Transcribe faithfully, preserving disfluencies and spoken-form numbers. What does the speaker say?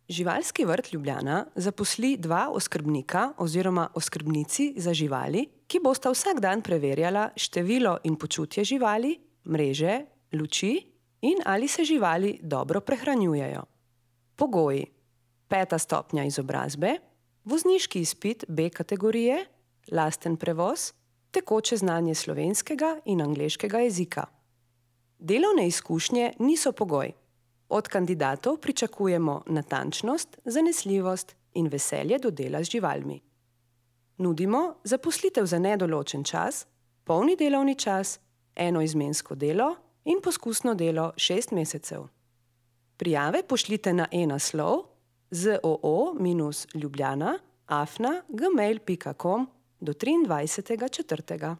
Živalski vrt Ljubljana zaposli dva oskrbnika oziroma oskrbnici za živali, ki bosta vsak dan preverjala število in počutje živali, mreže, luči in ali se živali dobro prehranjujejo. Pogoji: peta stopnja izobrazbe, vozniški izpit B kategorije, lasten prevoz, tekoče znanje slovenskega in angleškega jezika. Delovne izkušnje niso pogoj. Od kandidatov pričakujemo natančnost, zanesljivost in veselje do dela z živalmi. Nudimo zaposlitev za nedoločen čas, polni delovni čas, enoizmensko delo in poskusno delo šest mesecev. Prijave pošljite na e-naslov zoo ljubljana afna gmail pika com do triindvajsetega četrtega